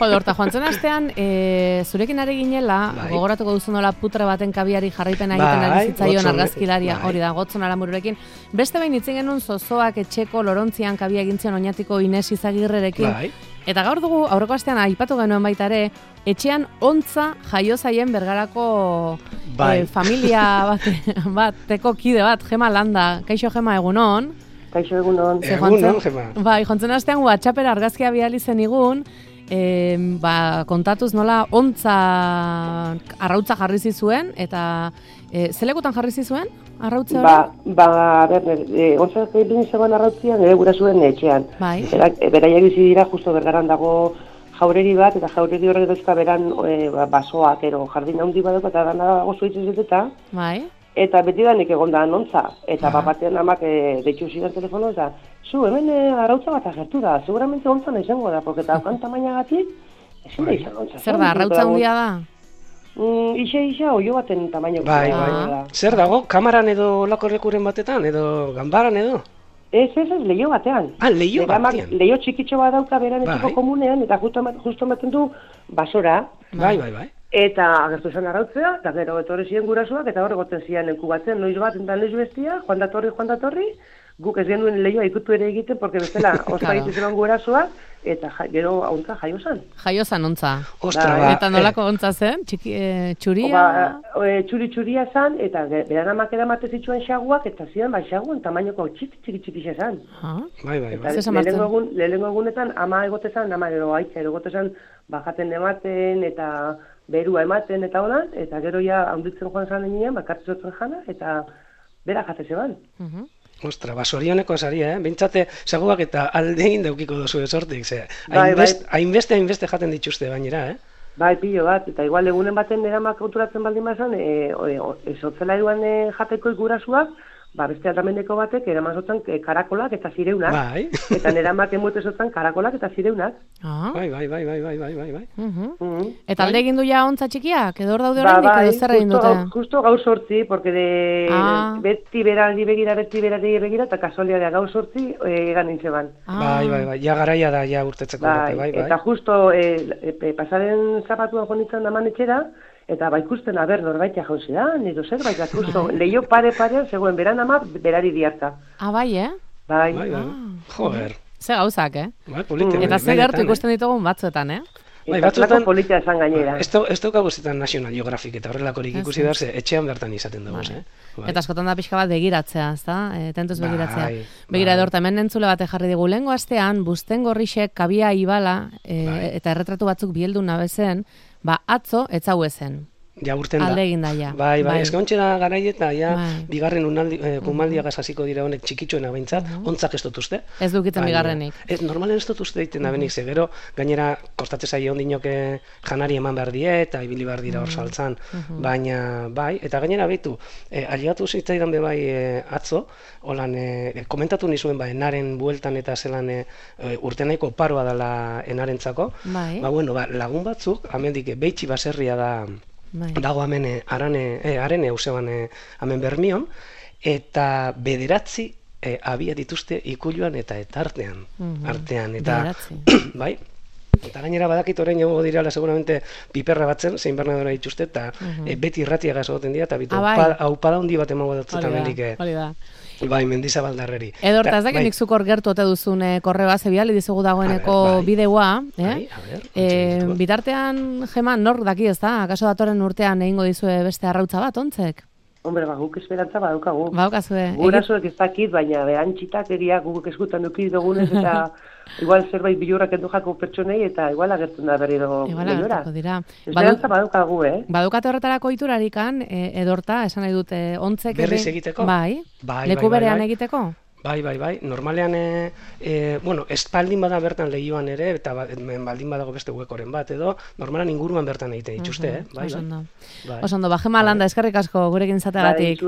Horta, joan zen astean, zurekin ari ginela, gogoratuko duzu nola putre baten kabiari jarraipena egiten ari zitzaion argazkilaria, hori da, Gotzon Aramururekin. Beste behin itzen genuen zozoak etxeko Lorontzian kabia egintzion oinatiko Ines Izagirrerekin. Eta gaur dugu, aurreko astean aipatu genuen baita ere, etxean ontza jaio zaien Bergarako familia bateko kide bat, Gema Landa. Kaixo Gema, egunon? Kaixo egunon. Egunon, Gema. Bai, jontzen astean WhatsAppera argazkia bidali zenigun, kontatuz nola ontza arrautza jarri zizuen, eta zelekutan jarri zizuen arrautza hori? Ontzak egin zegoen arrautzian, gura zuen etxean. Bai. Beraiak bizi dira, justo Bergaran dago jaureri bat, eta jaureri horrek dauzka beran basoak, jardin handi bat eta dana dago zuitzizet Bai. Eta beti danik egon da anontza, eta batean amak deitxu zidan telefono, eta zu, hemen arrautza bat agertu da, seguramente ontza nahi zengo da, porque eta okan tamainagatik, ezin da izan ontza. Zer da, arrautza handia da? Ixa, oio baten tamaino. Bai. Zer dago, kamaran edo lakorrekuren batetan, edo ganbaran edo? Ez, leio batean. Leio batean. Leio txikitxo bat dauka beran etxeko komunean, eta justo ematen du basora. Bai. Eta agertu zen arrautzea, eta gero etorri ziren gurasoak, eta hor egoten ziren leku batzen, noiz bat eta noiz bestia, joan datorri, guk ez genuen lehioa ikutu ere egiten, porque bestela ospa egiten gurasoak, eta gero ontza jaio zan. Jaio zan ontza. Ostra, eta nolako ontza zen? Txuria? Txuria zan, eta beran amak eramate zituen xaguak, eta ziren xaguen tamainoko txiki zan. Bai. Lehenengo egunetan ama egotezan, ama gero aitza egotezan, bajaten ematen, eta berua ematen eta holan, eta gero ja handitzen joan zan eginean, bakartzotzen jana, eta bera jate zeban. Ostra, sorioneko saria, Bintzate, seguak eta aldein daukiko dozu esortik, ze. Hainbeste jaten dituzte bainera, Bai, pilo bat, eta igual egunen baten eramak konturatzen baldin bazan, ezotzela eruan jateko gurasuak, beste aldameneko batek eramazotan karakolak eta zireunak. Bai. Eta neramak emuetezotan karakolak eta zireunak. Bai. Eta alde egin du ja ontza txikiak? Edo hor daude oraindik edo zer egin dute? Justo gaur sortzi, porque beti berari begira, eta kasualidadea gaur sortzi egan nintzeban. Bai, ja garaia da, ja urtetzeko. Bai. Eta justo pasaren zapatuan jonitzen daman etxera, eta ikusten norbaitea jauzi da, nire zerbait, justo leio pare-parean, zegoen beran ama, berari diarta. Bai, Bai. Joder. Ze gauzak, Bai, polita. Eta ze gertu ikusten ditugun batzuetan, Bai, batzuetan polita esan gainera. Ez daukagu zetan National Geographic eta horrelakorik ikusi behar, etxean bertan izaten dugu, Eta askotan da pixka bat begiratzea, ezta? Tentuz begiratzea. Begira edorta, hemen entzule bate jarri digu, lehengo astean, Busten Gorrixek kabia ibala, eta erretratu batzuk bieldu nabezen, atzo etzau ezen. Ja urten da. Alde egin da, ja. Bai, eskontxe da garai eta bigarren kumaldiak hasiko dira honek txikitxoena behintzat, ontzak ez dutuzte. Ez dukiten bigarrenik. Normalen ez dutuzte egiten da benik, gero gainera kostatze zaio ondinok janari eman behar die, eta ibili behar dira hor saltzan. Baina, bai, eta gainera behitu, aligatu zitzaidan be bai atzo, holan, komentatu nizuen enaren bueltan eta zelan urtenaiko paroa dela enarentzako. Lagun batzuk, amendik behitxi baserria da dago hemen arane hauseban hemen Bermion, eta 9 abia dituzte ikuluan eta artean. Bai, eta gainera badakit orain egongo dirala seguramente piperra batzen, zein bernadora dituzte, eta beti irratiaga egoten dira, eta bitu, haupada handi bat emango dut hemendik. Bai, Mendizabaldarreri. Edo hortaz da, nik zukor gertu ote duzun korreoa zebiali dizugu dagoeneko bideoa. Bitartean, Gema, nor daki ez da? Akaso datorren urtean egingo dizue beste arrautza bat, ontzek? Hombre, guk esperantza badaukagu. Baukazue. Gurasoek ez dakit, baina behantxitak eria guk eskutan dukit dugunez, eta igual zerbait bilurrak endu jako pertsonei, eta igual agertzen da berriro lehiora. Esperantza badaukagu, Badukate horretarako iturarikan, edorta, esan nahi dute, ontzek... Berriz egiteko? Bai, leku berean egiteko? Bai. Normalean, espaldin bada bertan lehioan ere, eta baldin badago beste huekoren bat, edo, normalan inguruan bertan egiten dituzte, Osondo, Gema Landa, eskerrik asko gurekin izateagatik.